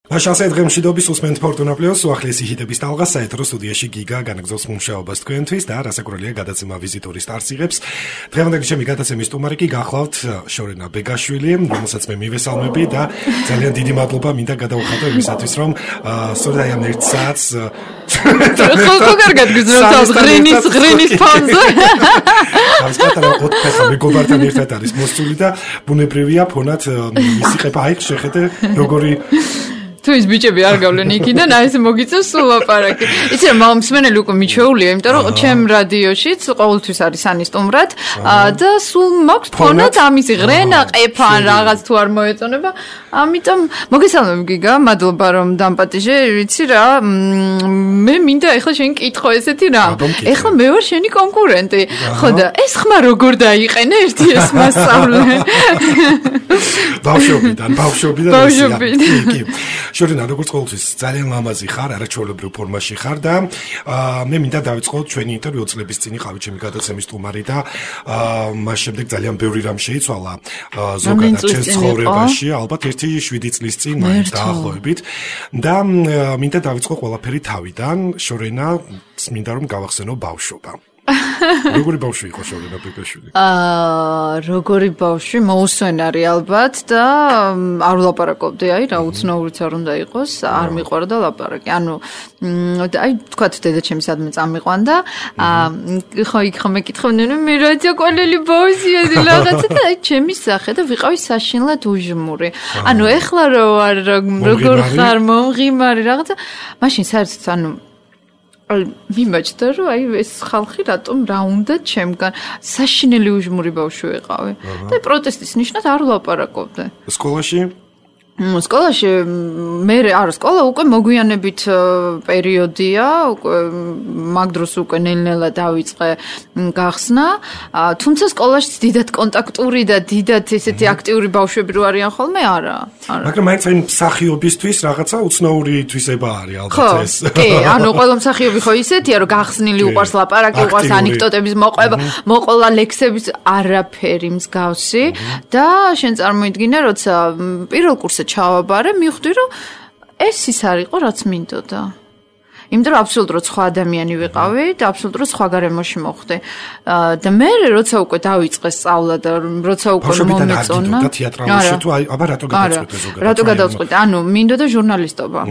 Așa დღემშვიდობის უსმენთ Fortuna Plus უახლესი ჰიტების ტალღას საეთრო სტუდიაში გიგა განაგზავს მუშაობას თქვენთვის და რასაკვირველია გადაცემა ვიზიტორის სტარს იღებს. დღევანდელი ჩემი გადაცემის სტუმარი კი გახლავთ შორენა ბეგაშვილი, რომელსაც მე მივესალმები და ძალიან დიდი მადლობა მინდა გადავხატო იმისათვის, რომ სწორედ აი ამ ერთ საათს ხო კარგად გძნობს ღრინის ფონზე. ამ პატარა ოთხფეხა მეგობართან ერთად არის მოსული და ბუნებრივია ფონად მისი ყება აი შეხედე როგორი თუ ის ბიჭები არ გავლენ იქიდან, აი ეს მოგიწევს სულ ლაპარაკი. იცი რა, მსმენელი უკვე მიჩვეულია, იმიტომ რომ ჩემ რადიოშიც ყოველთვის არის სანი სტუმრად და სულ მაქვს ფონად ამისი ღრენა, ყეფა ან რაღაც თუ არ მოეწონება. ამიტომ მოგესალმები გიგა, მადლობა რომ დამპატიჟე, ვიცი რა, მე მინდა ეხლა შენ კითხო ესეთი რა. ეხლა მე ვარ შენი კონკურენტი. ხო და ეს ხმა როგორ დაიყენე ერთი ეს მასწავლე. ბავშვობიდან. კი. შორენა როგორც ყოველთვის ძალიან ლამაზი ხარ, არაჩვეულებრივ ფორმაში ხარ და მე მინდა დავიწყოთ ჩვენი ინტერვიუ წლების წინ იყავი ჩემი გადაცემის სტუმარი და მას შემდეგ ძალიან ბევრი რამ შეიცვალა ზოგადად ჩემს ცხოვრებაში, ალბათ 7 წლის წინ მაინც დაახლოებით და მინდა დავიწყო ყველაფერი თავიდან, შორენა მინდა რომ გავახსენო ბავშვობა. როგორი ბავშვი იყო შორენა ბეგაშვილი? როგორი ბავშვი, მოუსვენარი ალბათ და არ ვლაპარაკობდი, აი რა უცნაურიც არ უნდა იყოს, არ მიყვარდა ლაპარაკი. ანუ აი თქვათ დედაჩემი სადმე წამიყვანდა, ხო იქ ხომ მეკითხავდნენ, მე რაცა კვალელი ბავშვია რაღაცა და აი ჩემი სახე და ვიყავი საშინლად უჟმური. ანუ ეხლა როგორ ხარ მომღიმარი რაღაცა, მაშინ საერთოდ ანუ მიმაჩნდა რომ აი ეს ხალხი რატომ რა უნდა ჩემგან საშინელი უჟმური ბავშვი ვიყავი და პროტესტის ნიშნად არ ვლაპარაკობდი. სკოლაში? სკოლაში მე არა სკოლა უკვე მოგვიანებით პერიოდია, უკვე მაგ დროს უკვე ნელ-ნელა დავიწყე გახსნა, თუმცა სკოლაშიც დიდად კონტაქტური და დიდად ესეთი აქტიური ბავშვები რო არიან ხოლმე არა. მაგრამ მაინც აი მსახიობისთვის რაღაცა უცნაური თვისება არის ალბათ ეს. კი, ანუ ყველა მსახიობი ხო ისეთია რომ გახსნილი უყვარს ლაპარაკი, უყვარს ანეკდოტების მოყვება, მოყოლა ლექსების არაფერი მსგავსი და შენ წარმოიდგინე როცა პირველ კურსზე ჩავაბარე, მივხვდი რომ ეს ის არ იყო რაც მინდოდა. იმიტომ რომ აბსოლუტურად სხვა ადამიანი ვიყავი და აბსოლუტურად სხვა გარემოში მოხვდი. და მე როცა უკვე დავიწყე სწავლა და როცა უკვე მომეწონა. და თეატრალში თუ აბა რატო გადაწყვეტე ზოგადად? რატო გადაწყვეტე? ანუ მინდოდა ჟურნალისტობა.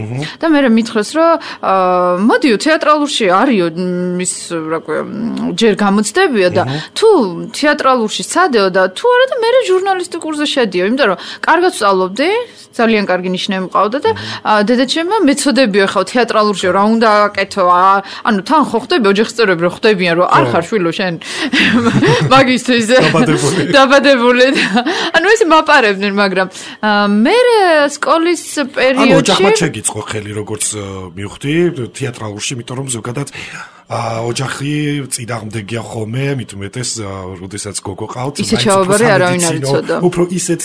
და მე მითხრეს რომ მოდიო თეატრალურში არისო ის რა ქვია ჯერ გამოცდებია და თუ თეატრალურში სადეო და თუ არა და მე ჟურნალისტიკ კურსზე შედიო, იმიტომ რომ კარგად ვსწავლობდი, ძალიან კარგი ნიშნები მყავდა და დედაჩემმა მეცოდებიო ხა თეატრალურში რა უნდა აკეთო, ანუ თან ხო ხდები ოჯახის წევრები რო ხდებიან რომ არ ხარ შვილო შენ მაგისტრის დაბადებული ანუ ეს მაპარებდნენ, მაგრამ მე სკოლის პერიოდში ანუ ოჯახმა შეგიწყო ხელი როგორც მივხვდი თეატრალურში, იმიტომ რომ ზოგადად ოჯახი წინააღმდეგია ხოლმე, მით უმეტეს როდესაც გოგო ყავთ, ისე ჩავაბარე არავინ არ იცოდა. უფრო ისეთ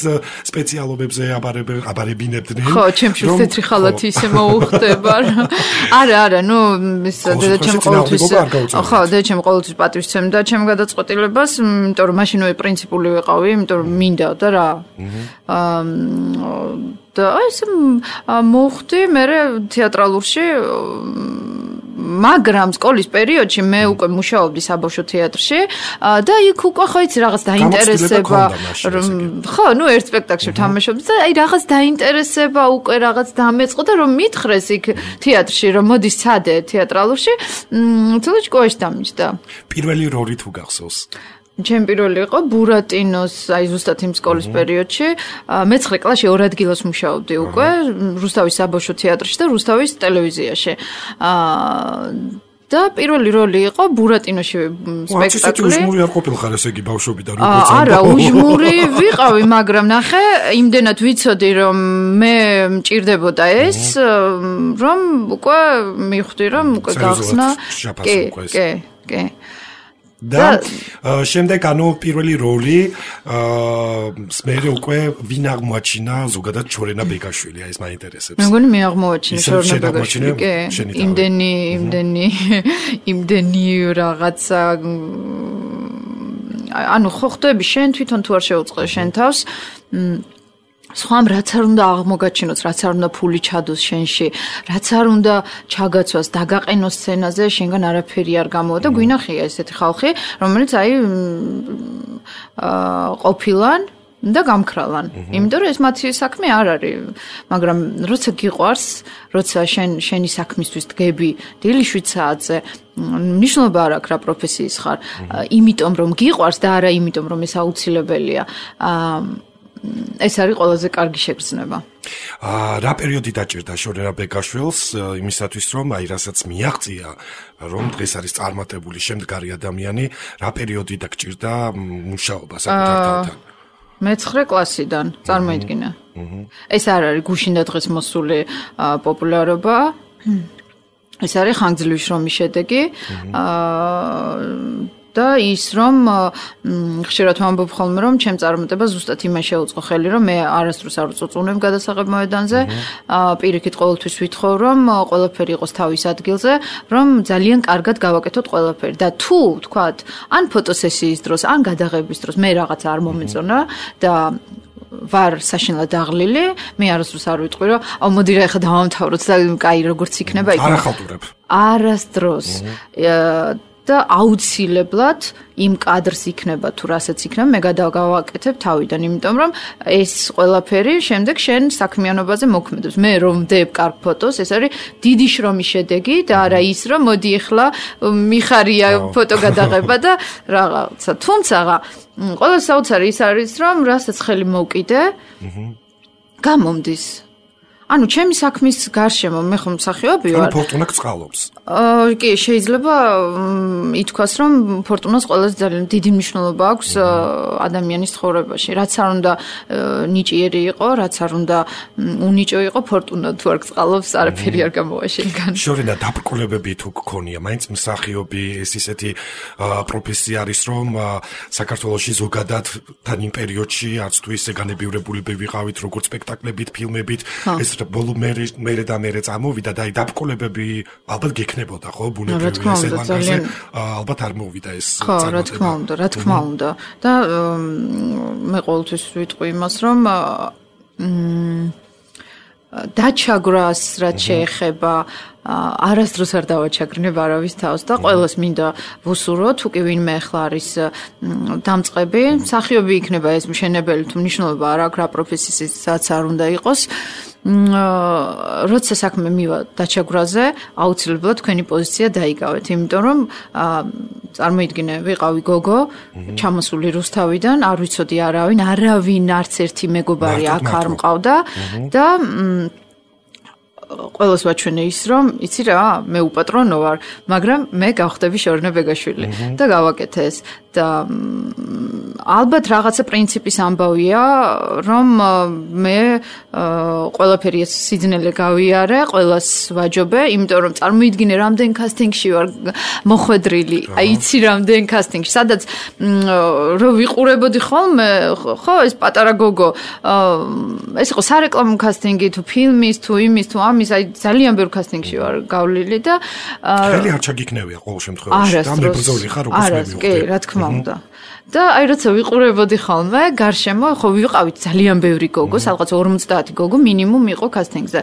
სპეციალობებზე აბარებინებდნენ. ხო, ჩემში თეთრი ხალათი ისე მოუხდება. არა, ნუ ის დედაჩემ ყოველთვის ხო, დედაჩემ ყოველთვის პატივისცემდა ჩემ გადაწყვეტილებას, იმიტომ რომ მაშინვე პრინციპული ვიყავი, იმიტომ რომ მინდოდა რა. და ეს მოხდი მე თეატრალურში მაგრამ სკოლის პერიოდში მე უკვე მუშაობდი საბავშვო თეატრში და იქ უკვე ხო იცი რაღაც დაინტერესება ხო ნუ ერთ სპექტაკლში თამაშობდი და აი რაღაც დაინტერესება უკვე რაღაც დამეწყო და რომ მითხრეს იქ თეატრში რომ მოდი სადე თეატრალურში თუნდაც კოეში დამიჯდა. პირველი როლი თუ გახსოვს? ჩემ პირველი იყო ბურატინოს, აი ზუსტად იმ სკოლის პერიოდში, მე-9 კლასში 2 ადგილას მუშაობდი უკვე, რუსთავის საბავშვო თეატრში და რუსთავის ტელევიზიაში. და პირველი როლი იყო ბურატინოში სპექტაკლი. უჟმური არ ყოფილხარ ესე იგი ბავშვობიდან როგორც არა, უჟმური ვიყავი, მაგრამ ნახე, იმდენად ვიცოდი რომ მე მჭირდებოდა ეს, რომ უკვე მივხვდი რომ უკვე გახსნა. კი. და შემდეგ ანუ პირველი როლი მე უკვე ვინ აღმოაჩინა ზოგადად შორენა ბეგაშვილი, ეს მაინტერესებს. მე მგონი მე აღმოაჩინა შორენა ბეგაშვილი. იმდენი რაღაცა ანუ ხო ხდები შენ თვითონ თუ არ შეუწყე შენ თავს სხვამ რაც არ უნდა აღმოგაჩინოს, რაც არ უნდა ფული ჩადოს შენში, რაც არ უნდა ჩაგაცვას, დაგაყენოს სცენაზე, შენგან არაფერი არ გამოვა და გვინახია ესეთი ხალხი, რომელიც აი ყოფილან და გამქრალან. იმიტომ რომ ეს მათი საქმე არ არის, მაგრამ როცა გიყვარს, როცა შენი საქმისთვის დგები დილიშვით საათზე, მნიშვნელობა არ აქვს რა პროფესიის ხარ, იმიტომ რომ გიყვარს და არა იმიტომ რომ ეს აუცილებელია. ეს არის ყველაზე კარგი შეგრძნება. რა პერიოდი დაჭირდა შორენა ბეკაშვილს იმისათვის რომ აი რასაც მიაღწია რომ დღეს არის წარმატებული შემდგარი ადამიანი, რა პერიოდი დაგჭირდა მუშაობა საკუთარ თავთან? მე-9 კლასიდან წარმოიდგინე. ეს არ არის გუშინ და დღეს მოსული პოპულარობა. ეს არის ხანგრძლივი შრომის შედეგი. და ის რომ ხშირად ვამბობ ხოლმე რომ ჩემ წარმატება ზუსტად იმას შეუწყო ხელი რომ მე არასდროს არ ვწუწუნებ გადასაღებ მოედანზე პირიქით ყოველთვის ვითხოვ რომ ყველაფერი იყოს თავის ადგილზე რომ ძალიან კარგად გავაკეთოთ ყველაფერი და თუ თქვათ ან ფოტოსესიის დროს ან გადაღების დროს მე რაღაცა არ მომეწონა და ვარ საშინლად დაღლილი მე არასდროს არ ვიტყვი რომ მოდი რა ეხლა დავამთავროთ და კაი როგორც იქნება იქნება არ ახალტურებ არასდროს და აუცილებლად იმ კადრს იქნება თუ რასაც იქნება მე გადავაკეთებ თავიდან იმიტომ რომ ეს ყველაფერი შემდეგ შენ საქმიანობაზე მოქმედებს მე რომ ვდებ კარგ ფოტოს ეს არის დიდი შრომის შედეგი და არა ის რომ მოდი ახლა მიხარია ფოტო გადაღება და რაღაცა თუმცა ყველა საოცარი ის არის რომ რასაც ხელი მოვკიდე გამომდის ანუ ჩემი საქმის გარშემო მე ხომ მსახიობი ვარ. ანუ ფორტუნა გწყალობს. კი, შეიძლება ითქვას, რომ ფორტუნას ყველაზე ძალიან დიდი მნიშვნელობა აქვს ადამიანის ცხოვრებაში. რაც არ უნდა ნიჭიერი იყო, რაც არ უნდა უნიჭო იყო, ფორტუნა თუ არ გწყალობს, არაფერი არ გამოვა შენგან. შორენა დაბრკოლებები თუ გქონია, მაინც მსახიობი ეს ისეთი პროფესია არის, რომ საქართველოში ზოგადად თან იმ პერიოდში არც თუ ისე განებივრებულები ვიყავით, როგორც სპექტაკლებით, ფილმებით, ეს ბოლო მერე წამოვიდა და აი დაბრკოლებები ალბათ გექნებოდა ხო ბუნებრივი ესელანგაზე ალბათ არ მოვიდა ეს წარმატება რა თქმა უნდა და მე ყოველთვის ვიტყვი იმას რომ დაჩაგვრას რაც შეეხება არასდროს არ დავაჩაგრნებ არავის თავს და ყველას მინდა ვუსურო თუ კი ვინმე ახლა არის დამწყები მსახიობი იქნება ეს მშენებელი თუ მნიშვნელობა არ აქვს რა პროფესიისაცაც არ უნდა იყოს როცა საქმე მივა დაჩაგვრაზე აუცილებლად თქვენი პოზიცია დაიგავეთ იმიტომ რომ წარმოიდგინე ვიყავი გოგო ჩამოსული რუსთავიდან არ ვიცოდი არავინ არც ერთი მეგობარი აქ არ მყავდა და ყველას ვაჩვენე ის რომ იცი რა მე უპატრონო ვარ მაგრამ მე გავხდები შორენა ბეგაშვილი და გავაკეთე ეს და ალბათ რაღაცა პრინციპის ამბავია რომ მე ყველაფერი ეს სიძნელე გავიარე ყველას ვაჯობე იმიტომ რომ წარმოიდგინე რამდენ კასტინგში ვარ მოხვედრილი აი იცი რამდენ კასტინგში სადაც რო ვიყურებოდი ხოლმე ხო ეს პატარა გოგო ეს იყო სარეკლამო კასტინგი თუ ფილმის თუ იმის თუ ამის აი ძალიან ბევრ კასტინგში ვარ გავლილი და ხელი არ ჩაგიქნევია ყოველ შემთხვევაში და მე ბრძოლი ხარ როგორც მე მივხვდი კი რა თქმა უნდა და აი როცა ვიყურებოდი ხოლმე გარშემო ხო ვიყავით ძალიან ბევრი გოგო სადღაც 50 გოგო მინიმუმ იყო კასტინგზე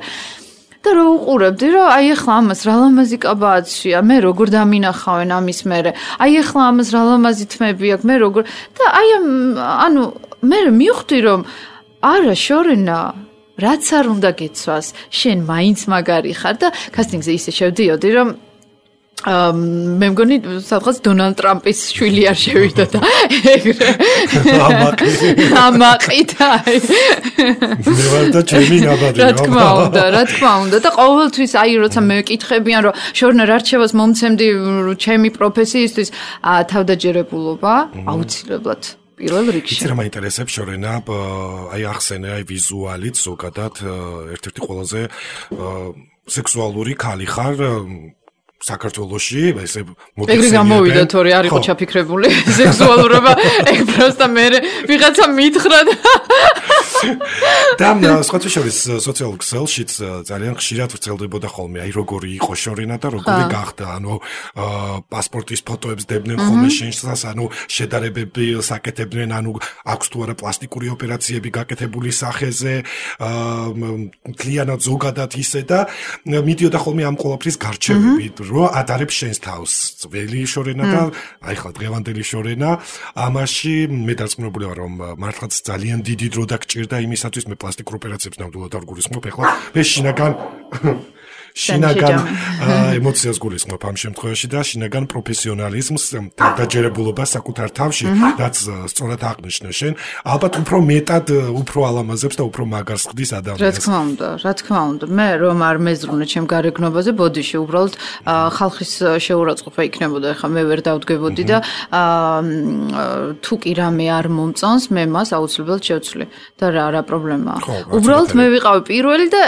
და რო უყურებდი რომ აი ახლა ამას რა ლამაზი კაბაცია მე როგორ დამინახავენ ამის მერე აი ახლა ამას რა ლამაზი თმები აქვს მე როგორ და აი ანუ მე მივხვდი რომ არა შორენა რაც არ უნდა გეცვას შენ მაინც მაგარი ხარ და კასტინგზე ისე შევდიოდი რომ მე მგონი სადღაც დონალდ ტრამპის შვილი არ შევიდა და ეგრე ამაყიდა მე ვარ და ჩემი ნაბადი რა თქმა უნდა და ყოველთვის აი როცა მე მეკითხებიან რომ შორნა რა რჩევას მომცემდი ჩემი პროფესიისთვის თავდაჯერებულობა აუცილებლად პირველ რიგში. იცი რა მაინტერესებს შორენა, აი ახსენე აი ვიზუალით ზოგადად ერთ-ერთი ყველაზე სექსუალური ქალი ხარ საქართველოში, ესე მოგიხსენებენ. ეგრე გამოვიდა თორე არ იყო ჩაფიქრებული სექსუალურობა, ეგ პროსტა მე ვიღაცა მითხრა და და სხვათა შორის სოციალურ ქსელშიც ძალიან ხშირად ვრცელდებოდა ხოლმე აი როგორი იყო შორენა და როგორი გახდა ანუ პასპორტის ფოტოებს დებდნენ ხოლმე შენსას ანუ შედარებები საკეთებდნენ ანუ აქვს თუ არა პლასტიკური ოპერაციები გაკეთებული სახეზე მთლიანად ზოგადად ისე და მიდიოდა ხოლმე ამ ყველაფრის გარჩევები რომ ადარებს შენს თავს ძველი შორენა და აი ხა დღევანდელი შორენა ამაში მე დარწმუნებული ვარ რომ მართლაც ძალიან დიდი დრო დაგჭირდა იმისათვის მე პლასტიკურ ოპერაციებს ნამდვილად არ გულისხმობ ეხლა მე შინაგან ემოციას გულისხმობ ამ შემთხვევაში და შინაგან პროფესიონალიზმს დაჯერებულობას საკუთარ თავში რაც სწორად აღნიშნე შენ ალბათ უფრო მეტად უფრო ალამაზებს და უფრო მაგარს ხდის ადამიანს რა თქმა უნდა მე რომ არ მეზრუნე ჩემ გარეგნობაზე ბოდიში უბრალოდ ხალხის შეურაცხყოფა იქნებოდა ეხლა მე ვერ დავდგებოდი და თუ კი რამე არ მომწონს მე მას აუცილებლად შევცვლი და რა პრობლემაა უბრალოდ მე ვიყავი პირველი და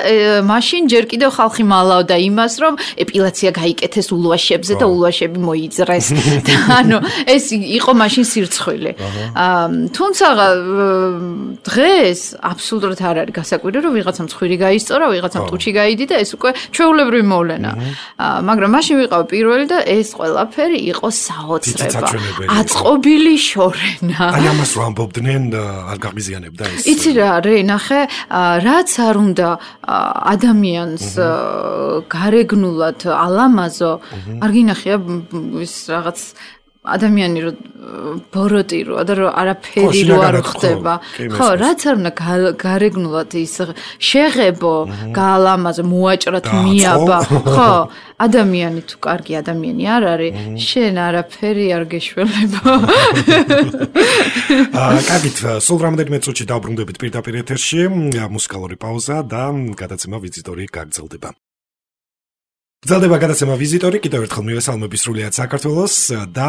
მაშინ ჯერ კიდევ ხალხი მალავდა იმას რომ ეპილაცია გაიკეთეს ულვაშებზე და ულვაშები მოიძრეს და ანუ ეს იყო მაშინ სირცხვილი თუმცა დღეს აბსოლუტურად არ არის გასაკვირი რომ ვიღაცამ ცხვირი გაისწორა ვიღაცამ ტუჩი გაიდი და ეს უკვე ჩვეულებრივი მოვლენა მაგრამ მაშინ ვიყავ პირველი და ეს ყველაფერი იყო საოცრება აწყობილი შორენა აი ამას რომ ამბობდნენ არ გაღიზიანებდა ეს იცი რა ნახე რაც არ უნდა ადამიანს გარეგნულად ალამაზო არ გინახია ის რაღაც ადამიანი რო ბოროტი რო და რო არაფერი რო არ ხდება ხო რაც არ უნდა გარეგნულად ის შეღებო გაალამაზო მოაჭრათ მიაბა ხო ადამიანი თუ კარგი ადამიანი არ არის შენ არაფერი არ გეშველება კარგით სულ რამდენიმე წუთში დავბრუნდებით პირდაპირ ეთერში მუსიკალური პაუზა და გადაცემა ვიზიტორი გაგრძელდება გრძელდება გადაცემა ვიზიტორი კიდევ ერთხელ მივესალმები სრულიად საქართველოს და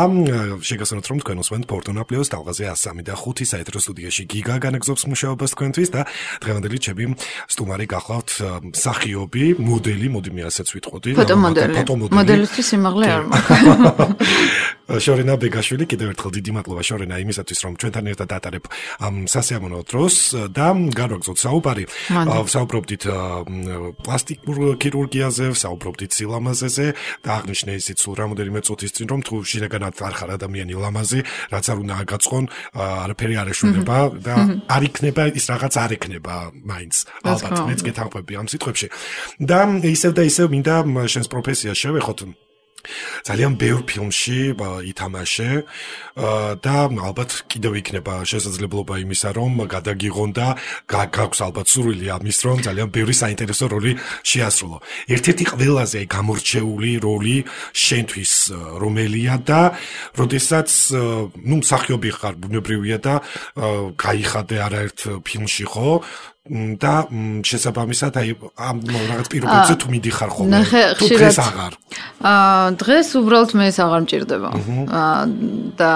შეგასწროთ რომ თქვენ უსმენთ ფორტუნა პლუს ტალღაზე 103 და 5 საეთრო სტუდიაში გიგა განაგზობს მუშაობას თქვენთვის და დღევანდელი ჩემი სტუმარი გახლავთ მსახიობი მოდელი მოდი მე ასეც ვიტყოდი მოდელისთვის სიმაღლე არ მაქვს შორენა ბეგაშვილი კიდევ ერთხელ დიდი მადლობა შორენა იმისათვის რომ ჩვენთან ერთად დატარებ ამ სასიამოვნო დროს და განვაგრძოთ საუბარი საუბრობდით პლასტიკურ ქირურგიაზე საუბრობდით ლამაზეზე და აღნიშნე ისიც სულ რამოდენიმე წუთის წინ რომ თუ შინაგანად არ ხარ ადამიანი ლამაზი რაც არ უნდა აგაწყონ არაფერი არ ეშველება და არ იქნება ის რაღაც არ ექნება მაინც ალბათ მეც გეთანხმები ამ სიტყვებში და ისევ და ისევ მინდა შენს პროფესიას შევეხოთ ძალიან ბევრ ფილმში ითამაშე და ალბათ კიდევ იქნება შესაძლებლობა იმისა რომ გადაგიღონ და გაქვს ალბათ სურვილი ამის რომ ძალიან ბევრი საინტერესო როლი შეასრულო. ერთ-ერთი ყველაზე გამორჩეული როლი შენთვის რომელია და როდესაც მსახიობი ხარ ბუნებრივია და გაიხადე არაერთ φιλმში ხო და შესაბამისად აი ამ რაღაც პირობებზე თუ მიდიხარ ხოლმე თუ დღეს აღარ დღეს უბრალოდ მე ეს აღარ მჭირდება და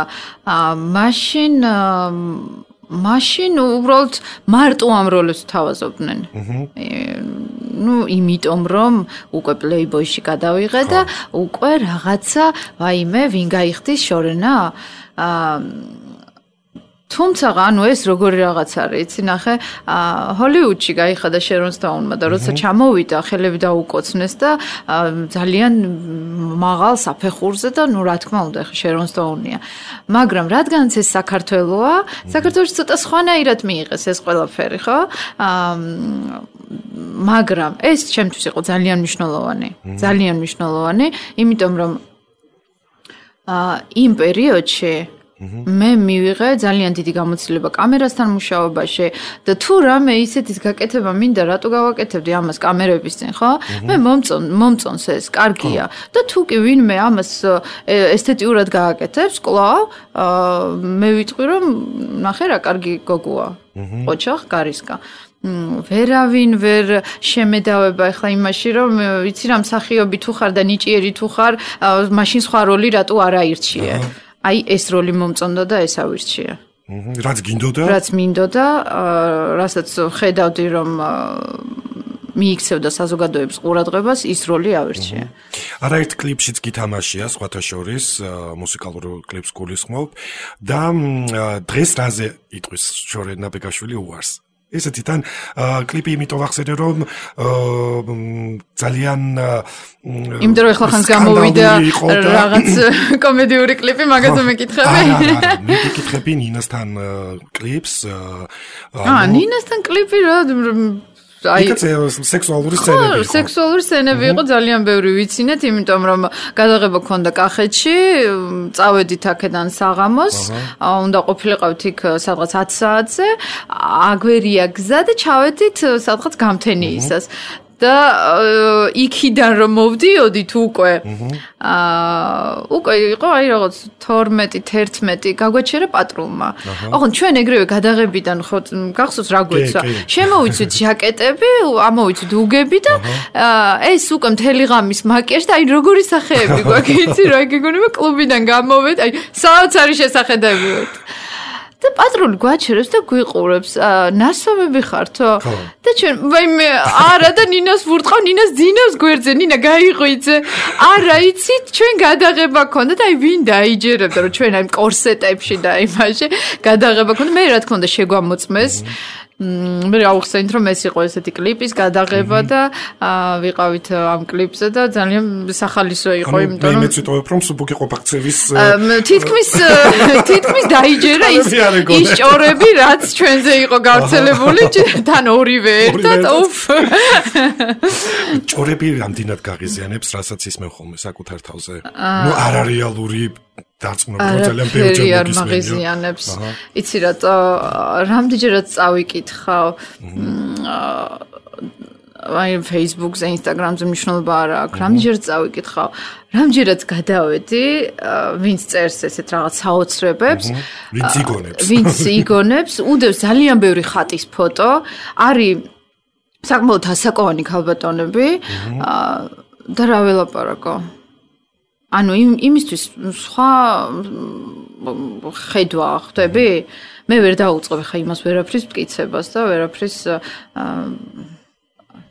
მაშინ უბრალოდ მარტო ამ როლებს თავაზობდნენ იმიტომ რომ უკვე პლეიბოიში გადავიღე და უკვე რაღაცა ვაიმე ვინ გაიხდის შორენა თუმცა ანუ ეს როგორი რაღაც არის იცი ნახე ჰოლივუდში გაიხადა შერონ სტოუნმა და როცა ჩამოვიდა ხელები დაუკოცნეს და ძალიან მაღალ საფეხურზე და ნუ რა თქმა უნდა ხე შერონ სტოუნია მაგრამ რადგანაც ეს საქართველოა საქართველოში ცოტა სხვანაირად მიიღეს ეს ყველაფერი ხო მაგრამ ეს ჩემთვის იყო ძალიან მნიშვნელოვანი იმიტომ რომ იმ პერიოდში მე მივიღე ძალიან დიდი გამოცდილება კამერასთან მუშაობაში და თუ რამე ისეთის გაკეთება მინდა რატო გავაკეთებდი ამას კამერების წინ ხო მე მომწონს ეს კარგია და თუ კი ვინმე ამას ესთეტიურად გააკეთებს კლავ მე ვიტყვი რომ ნახე რა კარგი გოგოა ოჩახ გარისკა ვერავინ ვერ შემედავება ახლა იმაში რომ ვიცი რა მსახიობი თუ ხარ და ნიჭიერი თუ ხარ მაშინ სხვა როლი რატო არ აირჩიე აი ეს როლი მომწონდა და ეს ავირჩია. რაც გინდოდა? რაც მინდოდა, რასაც ხედავდი რომ მიიქცევდა საზოგადოების ყურადღებას, ის როლი ავირჩია. არაერთ კლიპშიც გითამაშია, სხვათა შორის, მუსიკალურ კლიპს გულისხმობ და დღეს რაზე იტყვის შორენა ბეგაშვილი უარს? ესეთი თან კლიპი იმიტომ ვახსენე რომ ძალიან იმიტომ რომ ახლა ხანს გამოვიდა რაღაც კომედიური კლიპი მაგაზე მეკითხები მე მეკითხები ნინასთან კლიპს ნინასთან კლიპი რა აი სექსუალური სცენები იყო. სექსუალური სცენები იყო ძალიან ბევრი ვიცინეთ, იმიტომ რომ გადაღება ქონდა კახეთში, წავედით აქედან საღამოს, უნდა ყოფილიყავით იქ სადღაც 10 საათზე, აგვერია გზა და ჩავედით სადღაც გამთენიისას. და იქიდან რომ მოვდიოდით უკვე უკვე იყო აი რაღაც 12-11 გაგვაჩერა პატრულმა. ოღონდ ჩვენ ეგრევე გადაღებიდან ხო გახსოვს რა გვეცვა. შემოვიცვით ჟაკეტები, ამოვიცვით უგები და ეს უკვე მთელი ღამის მაკიაჟი და აი როგორი სახეები გვაქვს იცი რა გეგონება კლუბიდან გამოვედ აი სააც არის შესახედებიოთ. და პატრული გვაჩერებს და გვიყურებს. ნასვამები ხართო? და ჩვენ ვაიმე არა და ნინას ვურტყავ, ნინას ძინავს გვერდზე, ნინა გაიღვიძე. არა იცით, ჩვენ გადაღება ქონდა და აი ვინ დაიჯერებდა რომ ჩვენ აი კორსეტებში და იმაში გადაღება ქონდა. მე რა თქმა უნდა შეგვამოწმეს. მე ავხსენით რომ ეს იყო ესეთი კლიპის გადაღება და ვიყავით ამ კლიპზე და ძალიან სახალისო იყო, იმიტომ რომ მე მეციტოვებ რომ სუბუქი ყოფაქცევის თითქმის დაიჯერა ის ჭორები, რაც ჩვენზე იყო გავრცელებული, თან ორივე ერთად, უფ. ჭორები რამდენად გაღიზიანებს, რასაც ისმევ ხოლმე საკუთარ თავზე. ნუ არარეალური დარწმუნება ძალიან ბევრჯერ მოგიზიანებს. იცი რატო რამდენჯერაც წავიკითხავ აი Facebook-ზე, Instagram-ზე მნიშვნელობა არ აქვს. რამდენჯერაც წავიკითხავ, რამდენჯერაც გადავედი, ვინც წერს ესეთ რაღაც საოცრებებს, ვინც იგონებს, უდევს ძალიან ბევრი ხატის ფოტო, არის საკმაოდ ასაკოვანი ქალბატონები და რა ველაპარაკო. ანუ იმისთვის სხვა ხედვა ხვდები? მე ვერ დაუწყებ ხა იმას ვერაფრის მტკიცებას და ვერაფრის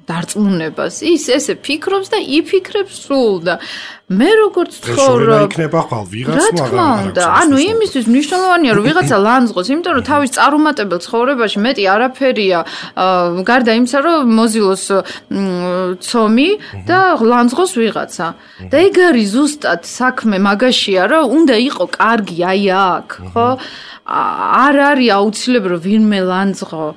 დარწმუნებას. ის ესე ფიქრობს და იფიქრებს სულ და მე როგორც ცხოვრობ იქნება ხვალ ვიღაც მაგრამ ანუ იმისთვის მნიშვნელოვანია რომ ვიღაცა ლანძღოს, იმიტომ რომ თავის წარუმატებელ ცხოვრებაში მეტი არაფერია გარდა იმისა რომ მოზილოს ცომი და ლანძღოს ვიღაცა. და ეგ არის ზუსტად საქმე მაგაშია რომ უნდა იყო კარგი აი აქ, ხო? არ არის აუცილებელი რომ ვინმე ლანძღო.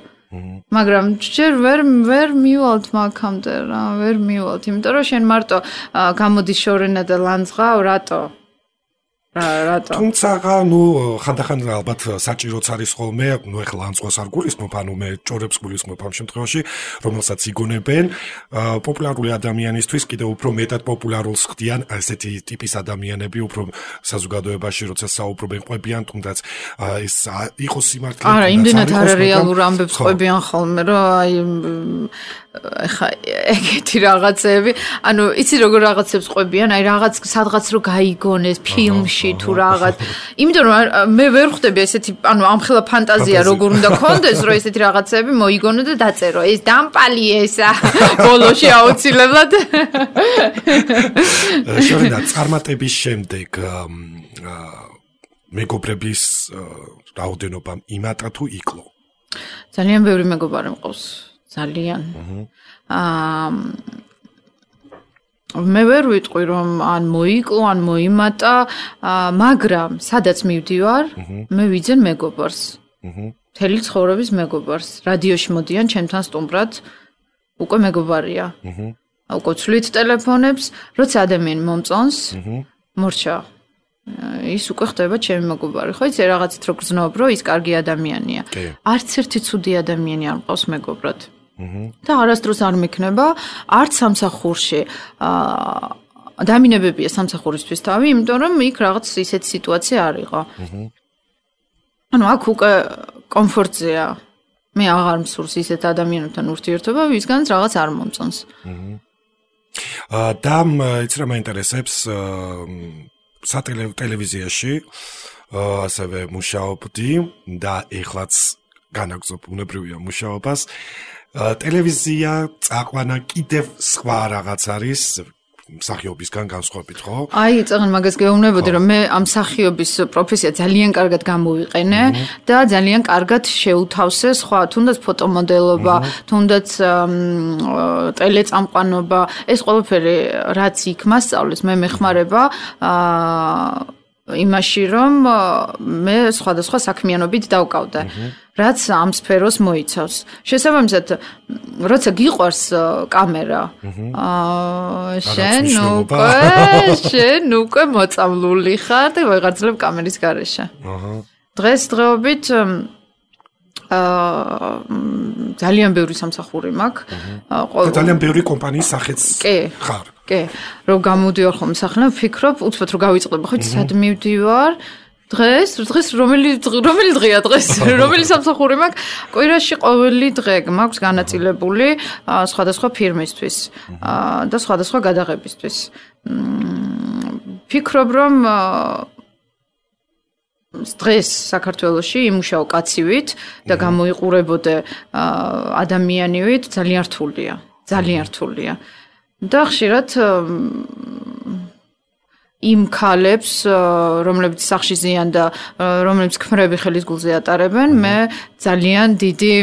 მაგრამ ჯერ ვერ მივალთ მაგამდე რა, ვერ მივალთ, იმიტომ რომ შენ მარტო გამოდის შორენა და ლანძღავ, რატო? რატო? თუმცა ნუ ხანდახან ალბათ საჭიროც არის ხოლმე, ნუ ეხლა ლანძღვას არ გულისხმობ, ანუ მე ჭორებს გულისხმობ ამ შემთხვევაში, რომელსაც იგონებენ პოპულარული ადამიანისთვის კიდევ უფრო მეტად პოპულარულს ხდიან ესეთი ტიპის ადამიანები, უფრო საზოგადოებაში როცა საუბრობენ, ყვებიან, თუნდაც ეს იყოს სიმართლე. არა, იმდენად არარეალურ ამბებს ყვებიან ხოლმე, რომ აი ეხა ეგეთი რაღაცები, ანუ იცი როგორ რაღაცებს ყვებიან, აი რაღაც სადღაც რო გაიგონეს ფილმში თუ რაღაც. იმიტომ რომ მე ვერ ხვდები ესეთი, ანუ ამხელა ფანტაზია როგორ უნდა კონდეს, რომ ესეთი რაღაცები მოიგონო და დაწერო. ეს დამპალი ესა ბოლოში აუცილებლად. შორენა წარმატების შემდეგ მეგობრების რაოდენობა იმატა თუ იკლო? ძალიან ბევრი მეგობარი მყავს. ძალიან. მე ვერ ვიტყვი რომ ან მოიკლო, ან მოიმატა, მაგრამ სადაც მივდივარ, მე ვიძენ მეგობარს. მთელი ცხოვრების მეგობარს. რადიოში მოდიან ჩემთან სტუმრად, უკვე მეგობარია. უკვე ვცვლით ტელეფონებს, როცა ადამიანი მომწონს, მორჩა. ის უკვე ხდება ჩემი მეგობარი. ხო იცი რაღაცით რო გრძნობ, რომ ის კარგი ადამიანია. არც ერთი ცუდი ადამიანი არ მყავს მეგობრად. და არასდროს არ მექნება არც სამსახურში დამინებებია სამსახურისთვის თავი, იმიტომ რომ იქ რაღაც ისეთი სიტუაცია არ იყო. ანუ აქ უკვე კომფორტზეა. მე აღარ მსურს ისეთ ადამიანებთან ურთიერთობა, ვისგანაც რაღაც არ მომწონს. და იცი რა მაინტერესებს სატელევიზიაში ასევე მუშაობდი და ეხლაც განაგზობ უნებრივია მუშაობას. ტელევიზია წაყვანა კიდევ სხვა რაღაც არის, მსახიობისგან განსხვავებით, ხო? აი, წაღან მაგას გეუბნებოდი, რომ მე ამ მსახიობის პროფესია ძალიან კარგად გამოვიყენე და ძალიან კარგად შეუთავსე სხვა, თუნდაც ფოტომოდელობა, თუნდაც ტელეწამყვანობა, ეს ყველაფერი რაც იქ მასწავლეს, მე მეხმარება იმაში, რომ მე სხვადასხვა საქმიანობით დავკავდე, რაც ამ სფეროს მოიცავს. შესაბამისად, როცა გიყვარს კამერა, შენ უკვე მოწამლული ხარ და ვეღარძლებ კამერის გარეშე. დღესდღეობით ძალიან ბევრი სამსახური მაქვს. ძალიან ბევრი კომპანიის სახეც ხარ. კი, რომ გამოდივარ ხომ სახლა, ვფიქრობ, უცბად რომ გავიწყდება, ხო, სად მივდივარ? დღეს რომელი დღეა დღეს? რომელი სამსახური მაქვს? კვირაში ყოველი დღე მაქვს განაწილებული სხვადასხვა ფირმისთვის და სხვადასხვა გადაღებისთვის. ვფიქრობ, რომ დღეს საქართველოში იმუშაო კაცივით და გამოიყურებოდე ადამიანივით ძალიან რთულია, ძალიან რთულია. და ხშირად იმ ქალებს, რომლებიც სახლში ზიან და რომლებიც ქმრები ხელის გულზე ატარებენ, მე ძალიან დიდი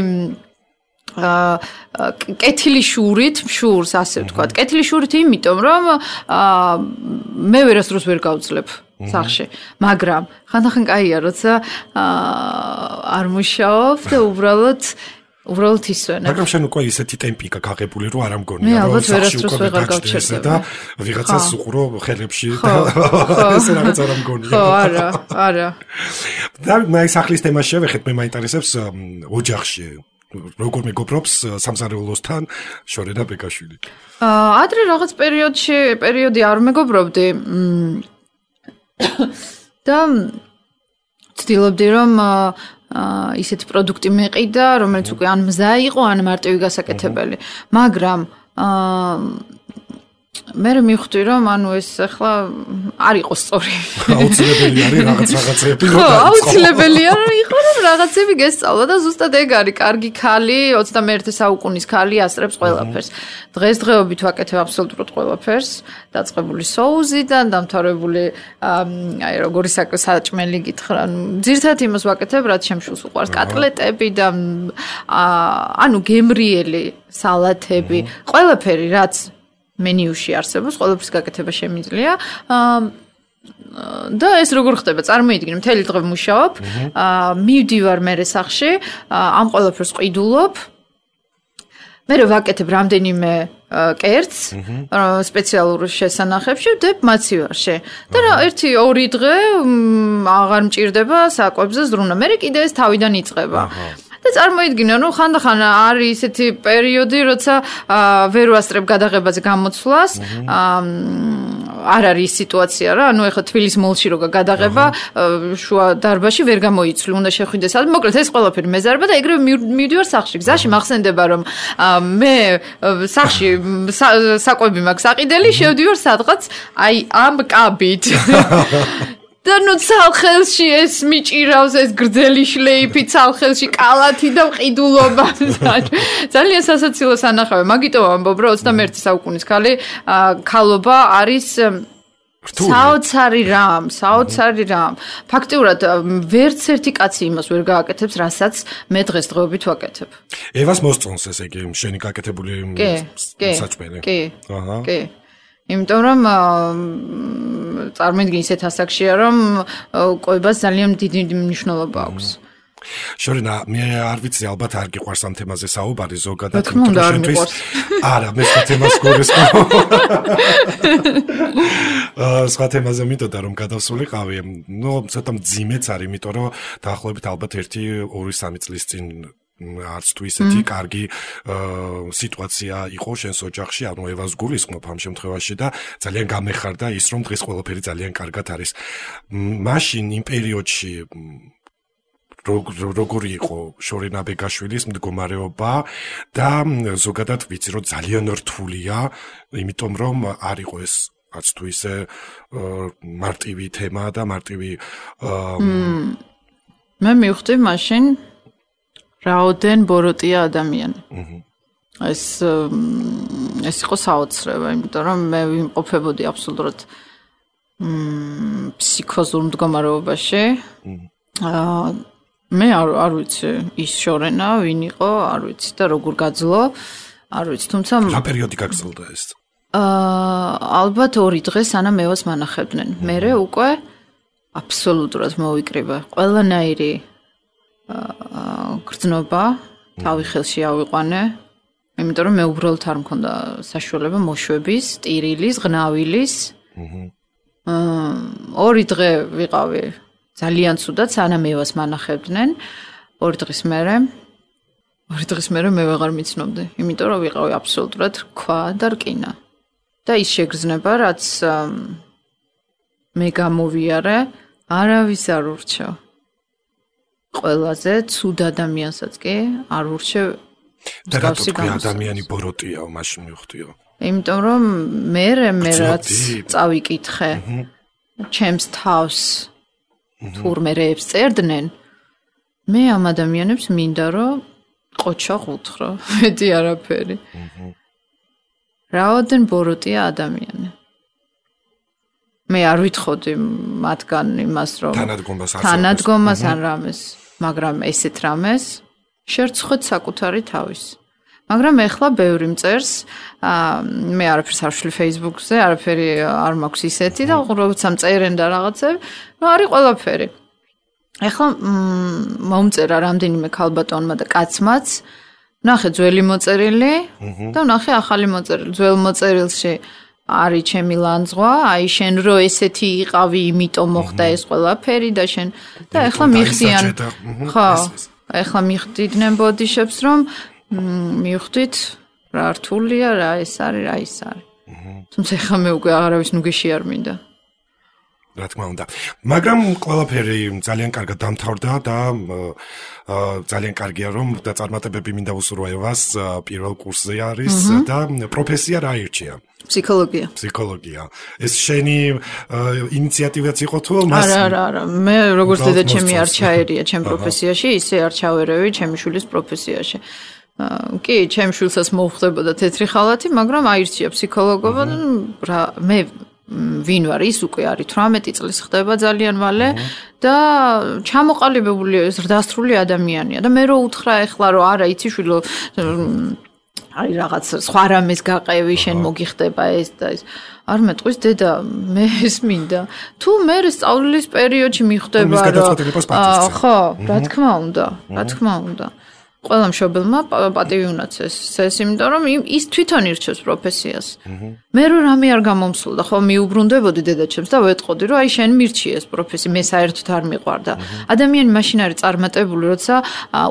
კეთილი შურით, შურს ასე ვთქვათ. კეთილი შურით იმიტომ, რომ მე ვერასდროს ვერ გავძლებ სახლში, მაგრამ ხანდახან კაია, როცა არ მუშაობ და უბრალოდ ისვენებ. მაგრამ შენ უკვე ისეთი ტემპი გაგებული, რომ არ ამგონია, რომ სახლში უკვე გაჩერდა და ვიღაცას უყურო ხელებში და ეს რაღაც არ ამგონია. ხო, არა. და მე სახლის თემას შევეხეთ, მე მაინტერესებს ოჯახში როგორ მეგობრობს სამზარეულოსთან შორენა ბეკაშვილი. ადრე რაღაც პერიოდი არ მეგობრობდი. და ვცდილობდი რომ ისეთი პროდუქტი მეყიდა, რომელიც უკვე ან მზა იყო, ან მარტივი გასაკეთებელი. მაგრამ მე მივხვდი რომ ეს ახლა არ იყო სწორი. აუცილებელი არის რაღაცები. ხო, აუცილებელია რომ იყო რომ რაღაცები გესწავლა და ზუსტად ეგ არის. კარგი ქალი, 21 საუკუნის ქალი ასწრებს ყველაფერს. დღესდღეობით ვაკეთებ აბსოლუტურად ყველაფერს, დაწყებული სოუსიდან, დამთავრებული როგორი საჭმელი გითხრა, ძირთად იმას ვაკეთებ, რაც შემშულს უყვარს, კატლეტები და გემრიელი სალათები, ყველაფერი რაც მენიუში არსებობს, ყველაფრის გაკეთება შემიძლია. და ეს როგორ ხდება? წარმოიდგინე, მთელი დღე ვმუშაობ, მივდივარ მე სახლში, ამ ყველაფერს ყიდულობ. მე ვაკეთებ რამდენიმე კერძს სპეციალურ შესანახებში, ვდებ მაცივარში. და 1-2 დღე აღარ მჭირდება საკვებზე ზრუნა. მე კიდე ეს თავიდან იწყება. და წარმოიდგინე, რომ ხანდახან არის ისეთი პერიოდი, როცა ვერ ვასწრებ გადაღებაზე გამოცვლას, არ არის სიტუაცია რა, ეხლა თბილისის მოლში რო გადაღება, შუა დარბაზში ვერ გამოიცვლი, უნდა შეხვიდე სადმე, მოკლედ ეს ყველაფერი მეზარება და ეგრევე მივდივარ სახლში. გზაში მახსენდება, რომ მე სახლში საკვები მაქვს აყიდელი, შევდივარ სადღაც აი ამ კაბით. და ცალხელში ეს მიჭირავს ეს გრძელი შლეიფი ცალხელში კალათი და ყიდულობა. ძალიან სასაცილო სანახავია. მაგიტომ ამბობ, რომ 21 საუკუნის ქალობა არის საოცარი რამ. ფაქტიურად ვერც ერთი კაცი იმას ვერ გააკეთებს, რასაც მე დღესდღეობით ვაკეთებ. ევას მოსწონს ეს იგი შენი გაკეთებული საჭმელი. კი. იმიტომ რომ წარმოიდგინე ისეთ ასაკშია, რომ კვებას ძალიან დიდი მნიშვნელობა აქვს. შორენა, მე არ ვიცი, ალბათ არ გიყვარს ამ თემაზე საუბარი ზოგადად, თქმა უნდა არ მიყვარს. არა, მე სხვა თემას გორესკო. სხვა თემაზე მითოდა რომ გადავსულიყავი, ცოტა მძიმეც არის, იმიტომ რომ დაახლოებით ალბათ 1-2-3 წლის წინ არც თუ ისეთი კარგი სიტუაცია იყო შენს ოჯახში, ანუ ევას გულისხმობ ამ შემთხვევაში და ძალიან გამეხარდა ის, რომ დღეს ყველაფერი ძალიან კარგად არის. მაშინ იმ პერიოდში როგორი იყო შორენა ბეგაშვილის მდგომარეობა და ზოგადად ვიცი, რომ ძალიან რთულია, იმიტომ რომ არ იყო ეს არც თუ ისე მარტივი თემა და მარტივი მე მივხვდი მაშინ რაოდენ ბოროტია ადამიანი. ეს იყო საოცრება, იმიტომ რომ მე ვიმყოფებოდი აბსოლუტურად ფსიქოზურ მდგომარეობაში. მე არ ვიცი ის შორენა ვინ იყო, არ ვიცი და როგორ გაძლო, არ ვიცი, თუმცა რა პერიოდი გაგრძელდა ეს? ალბათ 2 დღე სანამ მევას მანახებდნენ. მერე უკვე აბსოლუტურად მოვიკრიბა. ყველანაირი გრძნობა თავი ხელში ავიყვანე. იმიტომ რომ მე უბრალოდ არ მქონდა საშუალება მოშვების, ტირილის, ღნავილის. 2 დღე ვიყავი ძალიან ცუდად, სანამ მევას მანახებდნენ. 2 დღის მერე მე ვეღარ მიცნობდი, იმიტომ რომ ვიყავი აბსოლუტურად რქვა და რკინა. და ის შეგრძნება, რაც მე გამოვიარე, არავის არ ურჩევ. ყველაზე ცუდ ადამიანსაც კი არ ურჩევ. და რატო თქვი ადამიანი ბოროტიაო, მაშინ მივხვდიო? იმიტომ რომ მე რაც წავიკითხე, ჩემს თავს თურმე რეებს წერდნენ, მე ამ ადამიანებს მინდა რომ ყოჩა ღუთრო, მეტი არაფერი. რაოდენ ბოროტია ადამიანი. მე არ ვითხოვდი მათგან იმას, რომ თანადგომას ან რამეს, მაგრამ ესეთ რამეს შერცხვეთ საკუთარი თავის. მაგრამ ეხლა ბევრი მწერს, მე არაფერს არ ვშლი Facebook-ზე, არაფერი არ მაქვს ისეთი და როცა მწერენ და რაღაცები, არის ყველაფერი. ეხლა მომწერა რამდენიმე ქალბატონმა და კაცმაც, ნახე ძველი მოწერილი და ნახე ახალი მოწერილი. ძველ მოწერილში არის ჩემი ლანძღვა, აი შენ რო ესეთი იყავი, იმიტომ მოხდა ეს ყველაფერი და შენ და ეხლა მიხდიან. ხო, ეხლა მიხდიდნენ ბოდიშებს, რომ მივხვდით რა რთულია, რა ეს არის. თუმცა ეხლა მე უკვე არავის ნუგეში არ მინდა. რა თქმა უნდა. მაგრამ ყველაფერი ძალიან კარგად დამთავრდა და ძალიან კარგია რომ დაწარმოებები მინდა უსურვო ევას პირველ კურსზე არის და პროფესია რა ირჩია? ფსიქოლოგია. ეს შენი ინიციატივაც იყო თუ მას? არა. მე როგორც დედაჩემი არ ჩაერია ჩემ პროფესიაში, ისე არ ჩავერევი ჩემი შვილის პროფესიაში. კი, ჩემ შვილსაც მოუხდებოდა თეთრი ხალათი, მაგრამ აირჩია ფსიქოლოგობა და მე ვინ ვარ, ის უკვე არის 18 წლის ხდება ძალიან მალე და ჩამოყალიბებული ზრდასრული ადამიანია და მე რო უთხრა ეხლა რომ არა იცი შვილო აი რაღაც სხვა რამეს გაყევი შენ მოგიხდება ეს და ეს არ მეტყვის დედა მე ეს მინდა თუ მე სწავლის პერიოდში მიხვდება რომ ხო რა თქმა უნდა ყველა მშობელმა პატივი უნდა წეს, იმიტომ რომ ის თვითონ ირჩევს პროფესიას. მე რო რამე არ გამომსულდა, ხო მიუბრუნდებოდი დედაჩემს და ვეტყოდი, რომ აი შენ მირჩიეს პროფესია, მე საერთოდ არ მიყვარდა. ადამიანი მაშინ არის წარმატებული, როცა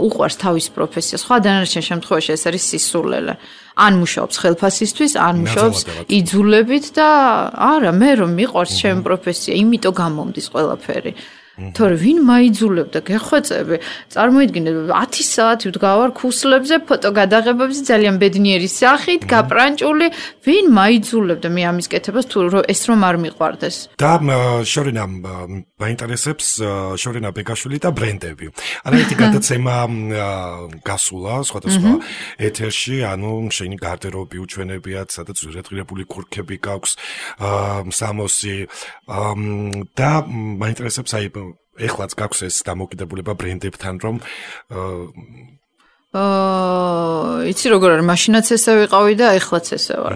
უყვარს თავის პროფესიას. ხო, დანარჩენ შემთხვევაში ეს არის სისულელე. ან მუშაობს ხელფასისთვის, ან მუშაობს იძულებით და არა, მე რომ მიყვარს ჩემი პროფესია, იმიტომ გამომდის ყველაფერი. თორე ვინ მაიძულებდა გეხვეწები წარმოიდგინე 10 საათი ვდგავარ ქუსლებზე ფოტო გადაღებებზე ძალიან ბედნიერი სახით გაპრანჭული ვინ მაიძულებდა მე ამის კეთებას თუ ეს რომ არ მიყვარდეს და შორენა მაინტერესებს შორენა ბეგაშვილი და ბრენდები არაერთი გადაცემა გასულა სხვადასხვა ეთერში ანუ შენი გარდერობი უჩვენებიათ სადაც რედღირებული ქურქები გაქვს სამოსი და მაინტერესებს აი ეხლაც გაქვს ეს დამოკიდებულება ბრენდებთან რომ იცი როგორ არის მაშინაც ესე ვიყავი და ეხლაც ესე ვარ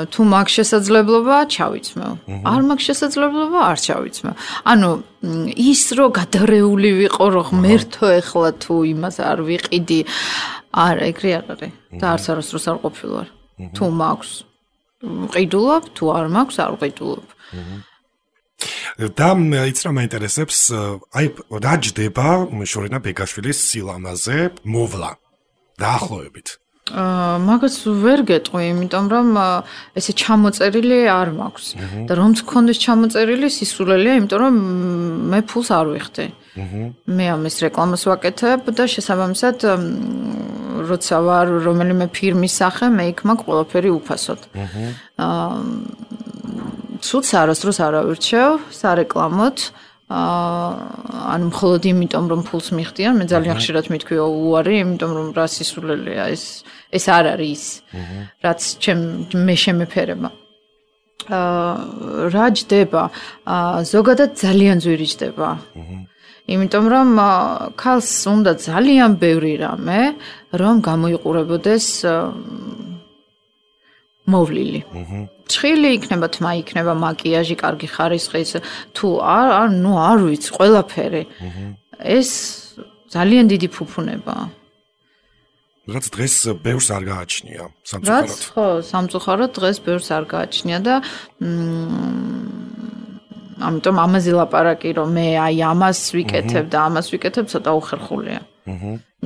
თუ მაქვს შესაძლებლობა ჩავიცმევ არ მაქვს შესაძლებლობა არ ჩავიცმევ ანუ ის რო გადარეული ვიყო რომ ღმერთო ეხლა თუ იმას არ ვიყიდი არა ეგრე არ არის და არც არასდროს არ ყოფილვარ თუ მაქვს ვყიდულობ თუ არ მაქვს არ ვყიდულობ და იც რა მაინტერესებს აი რა ჯდება შორენა ბეგაშვილის სილამაზე მოვლა დაახლოებით მაგას ვერ გეტყვი იმიტომ რომ ესე ჩამოწერილი არ მაქვს და რომც გქონდეს ჩამოწერილი სისულელია იმიტომ რომ მე ფულს არ ვიხდი მე ამის რეკლამას ვაკეთებ და შესაბამისად როცა ვარ რომელიმე ფირმის სახე მე იქ მაქვს ყველაფერი უფასოდ ცუდს არასდროს არ ავირჩევ სარეკლამოდ ანუ მხოლოდ იმიტომ რომ ფულს მიხდიან, მე ძალიან ხშირად მithქვია უარი, იმიტომ რომ რა სისულელეა ეს არ არის რაც მე შემეფერება. რა ჯდება? ზოგადად ძალიან ძვირი ჯდება. იმიტომ რომ ქალს უნდა ძალიან ბევრი რამე, რომ გამოიყურებოდეს მოვლილი. ჭხილი იქნება, თმა იქნება, მაკიაჟი, კარგი ხარისხის, თუ არ ვიცი, ყველაფერი. ეს ძალიან დიდი ფუფუნებაა. რაც დღეს ბევრს არ გააჩნია სამწუხაროდ. ხო, სამწუხაროდ დღეს ბევრს არ გააჩნია და ამიტომ ამაზე ლაპარაკი რომ მე აი ამას ვიკეთებ და ამას ვიკეთებ ცოტა უხერხულია.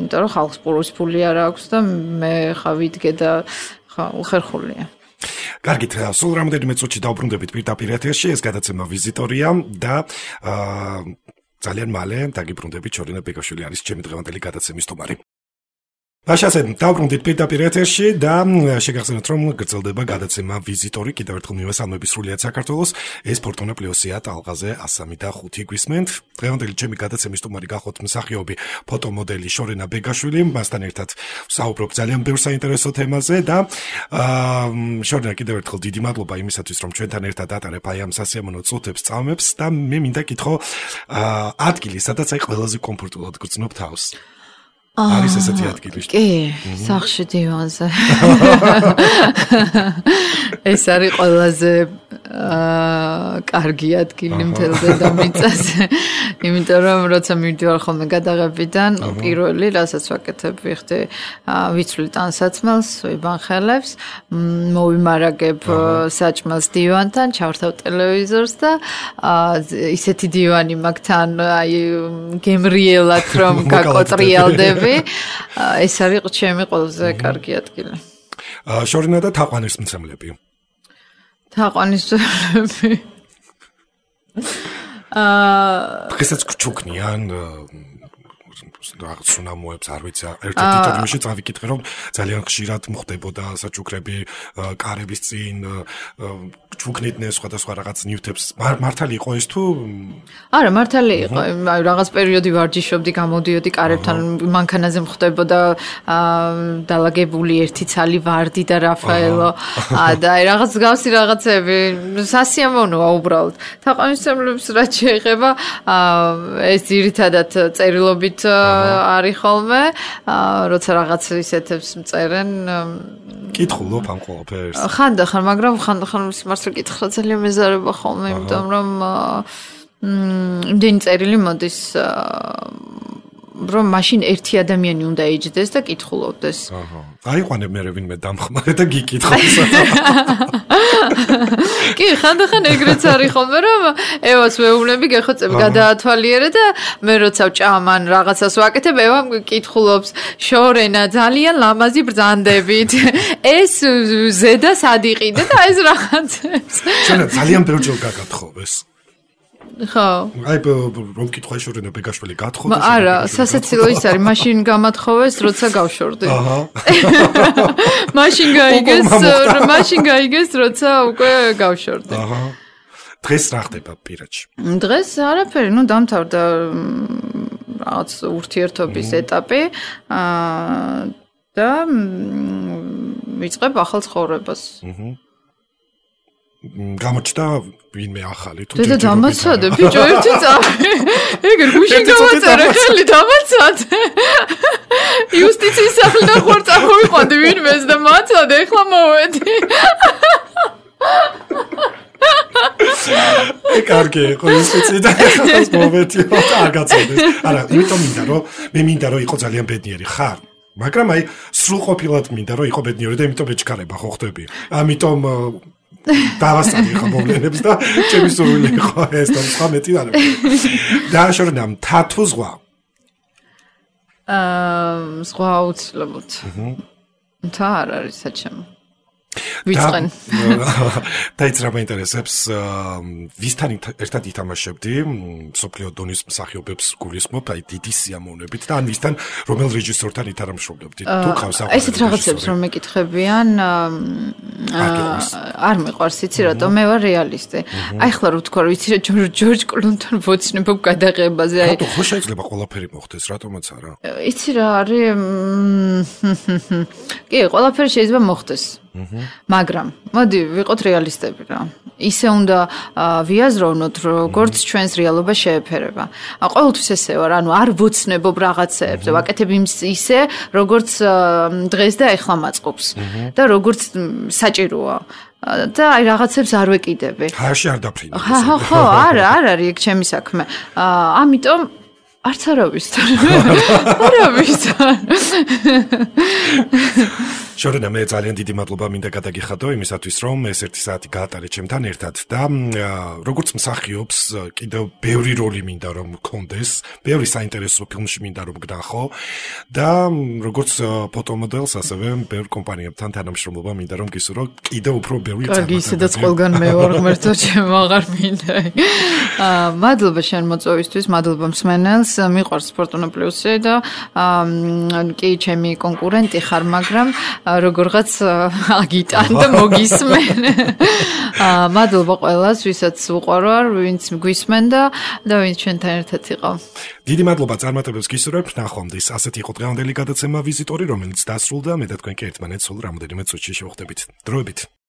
იმიტომ რომ ხალხს ფული არ აქვს და მე ხა ვიდგე და ხა უხერხულია. კარგით, სულ რამოდენიმე წუთში დავბრუნდებით პირდაპირ ეთერში, ეს გადაცემა ვიზიტორია და ძალიან მალე დაგიბრუნდებით შორინა ბეგაშვილი არის ჩემი დღევანდელი გადაცემის სტუმარი. Așa დავბრუნდით პირდაპირ ეთერში და შეგახსენოთ რომ გრძელდება გადაცემა ვიზიტორი კიდევ ერთხელ მივესალმები სრულიად საქართველოს ეს ფორტუნა პლუსია ტალღაზე 103.5 გვისმენთ დღევანდელი ჩემი გადაცემის სტუმარი გახოთ მსახიობი ფოტომოდელი შორინა ბეგაშვილი მასთან ერთად ვსაუბრობ ძალიან ბევრ საინტერესო თემაზე და შორინა კიდევ ერთხელ დიდი მადლობა იმისათვის რომ ჩვენთან ერთად ატარებ აი ამ სასიამოვნო წუთებს წამებს და მე მინდა კითხო ადგილი სადაც აი ყველაზე კომფორტულად გრძნობ თავს არის ესეთი ადგილი. კი, სახლში დივანზე. ეს არის ყველაზე კარგი ადგილი მთელ დედამიწაზე. იმიტომ რომ როცა მივდივარ ხოლმე გადაღებიდან, პირველი რასაც ვაკეთებ, ვიხდი ვიცვლი ტანსაცმელს, ვიბანხელებს, მოვიმარაგებ საჭმელს დივანთან, ჩავრთავ ტელევიზორს და ისეთი დივანი მაქვს თან, აი გემრიელად რომ გაკოტრიალდები. ეს არის ჩემი ყველაზე კარგი ადგილი. შორინა და თაყვანის მცემლები. თაყვანისმცემლები. დღესაც გჩუქნიან რაღაც სუნამოებს არ ვიცი ერთ-ერთ ინტერვიუში წავიკითხე რომ ძალიან ხშირად მოხდებოდა საჩუქრები კარების წინ ჩუქნიდნენ სხვადასხვა რაღაც ნივთებს მართალი იყო ეს თუ არა მართალი იყო აი რაღაც პერიოდი ვარჯიშობდი გამოდიოდი კარებთან მანქანაზე მოხდებოდა დალაგებული ერთი ცალი ვარდი და რაფაელო და აი რაღაც გავსი რაღაცები სასიამოვნოა უბრალოდ თაყვანისმცემლებს რაც შეეხება ეს ძირითადად წერილობით არის ხოლმე, როცა რაღაც ისეთებს მწერენ. კითხულობ ამ ყველაფერს. ხანდახან, მაგრამ ხანდახან მართლა კითხვა ძალიან მეზარება ხოლმე, იმიტომ რომ იმდენი წერილი მოდის რომ მაშინ ერთი ადამიანი უნდა ეჯდეს და კითხულობდეს. აიყვანებ მე ვინმე დამხმარე და გიკითხავს. კი, ხანდახან ეგრეც არის ხოლმე, რომ ევას ვეუბნები, გეხოცები გადაათვალიერე და მე როცა ვჭამან რაღაცას ვაკეთებ, ევა კითხულობს, შორენა ძალიან ლამაზი ბრძანდებით. ეს ზედა სად იყიდე და ეს რაღაცებს. შორენა ძალიან ბევრჯერ გაგათხოვეს. ხო. აი რომ კითხვა შორენა ბეგაშვილი გათხოვდა. არა, სასაცილო ის არის, მაშინ გამათხოვეს, როცა გავშორდი. აჰა. მაშინ გაიგეს, როცა უკვე გავშორდი. აჰა. დღეს რა ხდება პირადში? დღეს არაფერი, დამთავრდა რაღაც ურთიერთობის ეტაპი და ვიწყებ ახალ ცხოვრებას. გამოჩნდა ვინმე ახალი თუ და დამაცადე ბიჭო ერთი წამი ეგერ გუშინ გამაწერა ხელი დამაცადე იუსტიციის სახლიდან ხوار წამოვიყვანდი ვინმეს და მაცადე ეხლა მოვედი კარგი იყო იუსტიცია ხას მოვედი არ გაწოდეს არა იმიტომ მე მინდა რომ იყო ძალიან ბედნიერი ხარ მაგრამ აი სრულყოფილად მინდა რომ იყო ბედნიერი და იმიტომ ეჩქარება ხო ხდები ამიტომ დავასწარი ხა მოვლენებს და ჩემი სურვილი იყო ეს და სხვა მეტი არა. და შორენა თათუ ზღვა. ზღვა აუცილებლად. და არ არის საჩემო. ვიწყენ. და იც რა მაინტერესებს, ვისთან ერთად ითამაშებდი, სოფლიო დონის მსახიობებს გულისხმობ, აი დიდი სიამოვნებით და ან ვისთან რომელ რეჟისორთან ითამაშობდი. თუ ყავს ესეთ რაღაცებს რომ მეკითხებიან, არ მიყვარს, იცი რატომ მე ვარ რეალისტი. აი ხლა რო თქვა, რომ იცი რა ჯორჯ კლუნთან ვოცნებობ გადაღებაზე, აი ხო შეიძლება ყველაფერი მოხდეს, რატომაც არა? იცი რა არის? კი, ყველაფერი შეიძლება მოხდეს. მაგრამ მოდი ვიყოთ რეალისტები რა. ისე უნდა ვიაზროვნოთ, როგორც ჩვენს რეალობა შეეფერება. ყოველთვის ესე ვარ, ანუ არ ვოცნებობ რაღაცებს, ვაკეთებ ისე, როგორც დღეს და ეხლა მაწყობს და როგორც საჭიროა. და აი რაღაცებს არ ვეკიდები. ხარში არ დაფრინდი. ხო, არ არის ეგ ჩემი საქმე. ამიტომ არც არავისთან. არავისთან. შორენა მე ძალიან დიდი მადლობა მინდა გადაგიხადო იმისათვის რომ ეს 1 საათი გაატარე ჩემთან ერთად და როგორც მსახიობს კიდევ ბევრი როლი მინდა რომ მქონდეს, ბევრი საინტერესო ფილმში მინდა რომ გნახო და როგორც ფოტომოდელს ასევე ბევრ კომპანიებთან თანამშრომლობა მინდა რომ გისურვო კიდევ უფრო ბევრი წარმატება. კარგი, ისედაც ყველგან მე ვარ ღმერთო, ჩემ აღარ მინდა. მადლობა შენ მოწვევისთვის, მადლობა მსმენელს, მიყვარს Fortuna Plus-ი და კი ჩემი კონკურენტი ხარ, მაგრამ როგორღაც აგიტან და მოგისმენ. მადლობა ყველას, ვისაც უყვარვარ, ვინც გვისმენ და ვინც ჩვენთან ერთად იყო. დიდი მადლობა წარმატებებს გისურვებთ, ნახვამდის. ასეთი იყო დღევანდელი გადაცემა ვიზიტორი, რომელიც დასრულდა. მე და თქვენ კი ერთმანეთს სულ რამოდენიმე წუთში შევხვდებით. დროებით.